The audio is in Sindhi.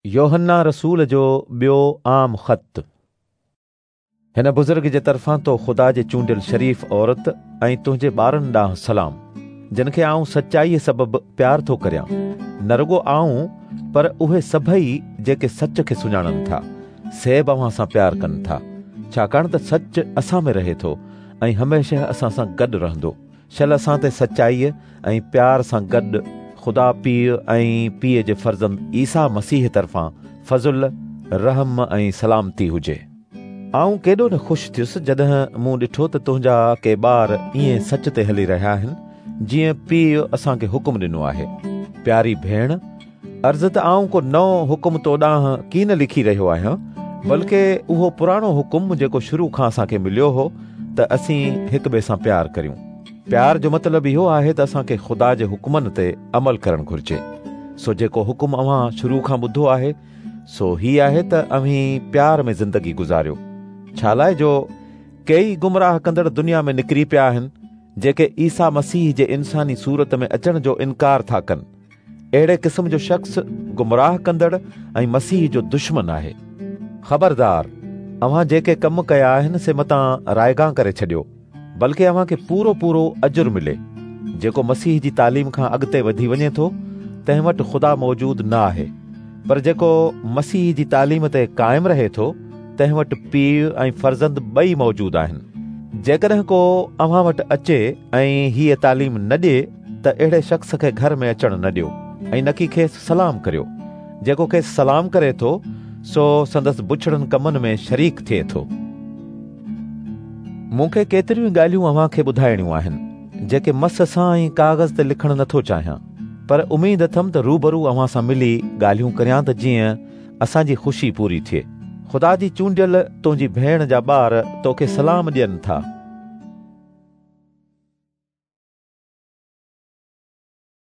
يوحنا رسول جو ٻيو عام خط. هن بزرگ جي طرفان تو خدا جي چونڊيل شريف عورت ۽ تنهنجي ٻارن ڏانهن سلام، جن کي آئون سچائيء سبب پيار ٿو ڪريان. نه رڳو آئون پر اهي سڀئي جيڪي سچ کي سڃاڻن ٿا، سي به اوهان سان پيار ڪن ٿا، ڇاڪاڻ ته سچ اسان ۾ رهي ٿو ۽ هميشه اسان سان گڏ رهندو. شل اسان تي سچائيء ۽ پيار سان گڏ خدا پيء ۽ پيء جي فرزند عيسيٰ مسيح طرفان فضل، رحم ۽ سلامتي هجي. آئون ڪيڏو نه خوش ٿيس جڏهن مون ڏٺو ته تنهنجا ڪي ٻار ائين سچ تي هلي رهيا آهن، جيئن پيء اسان کي حڪم ڏنو آهي. پياري ڀيڻ، عرض ته آئون ڪو نئون حڪم تو ڏانهن ڪين لکي رهيو آهيان، بلڪه اهو پراڻو حڪم جيڪو شروع کان اسان کي مليو هو ته اسين هڪ ٻئي سان پيار ڪريون. پيار جو مطلب اهو آهي ته اسان کي خدا جي حڪمن تي عمل ڪرڻ گهرجي. سو جيڪو حڪم اوهان شروع کان ٻڌو آهي، سو هي آهي ته اوهين پيار ۾ زندگي گذاريو. ڇالاء جو ڪيئي گمراهه ڪندڙ دنيا ۾ نڪري پيا آهن، جيڪي عيسيٰ مسيح جي انساني صورت ۾ اچڻ جو انڪار ٿا ڪن. اهڙي قسم جو شخص گمراهه ڪندڙ ۽ مسيح جو دشمن آهي. خبردار! اوهان جيڪي ڪم ڪيا آهن سي متان رائگان ڪري ڇڏيو، بلڪه اوهان کي پورو پورو اجر ملي. جيڪو مسيح جي تعليم کان اڳتي وڌي وڃي ٿو، تنهن وٽ خدا موجود نه آهي. پر جيڪو مسيح جي تعليم تي قائم رهي ٿو، تنهن وٽ پيء ۽ فرزند ٻئي موجود آهن. جيڪڏهن ڪو اوهان وٽ اچي ۽ هيء تعليم نه ڏئي، ته اهڙي شخص کي گهر ۾ اچڻ نه ڏيو ۽ نڪي کيس سلام ڪريو. جيڪو کيس سلام ڪري ٿو، سو سندس بڇڙن ڪمن ۾ شريڪ ٿئي ٿو. مون کي ڪيتريون ئي ڳالهيون اوهان کي ٻڌائڻيون آهن، جيڪي مس سان ۽ ڪاغذ تي لکڻ نه ٿو چاهيان، پر اميد اٿم ته روبرو اوهان سان ملي ڳالهيون ڪريان ته جيئن اسان جي خوشي پوري ٿئي. خدا جي چونڊيل تنهنجي ڀيڻ جا ٻار توکي سلام ڏين ٿا.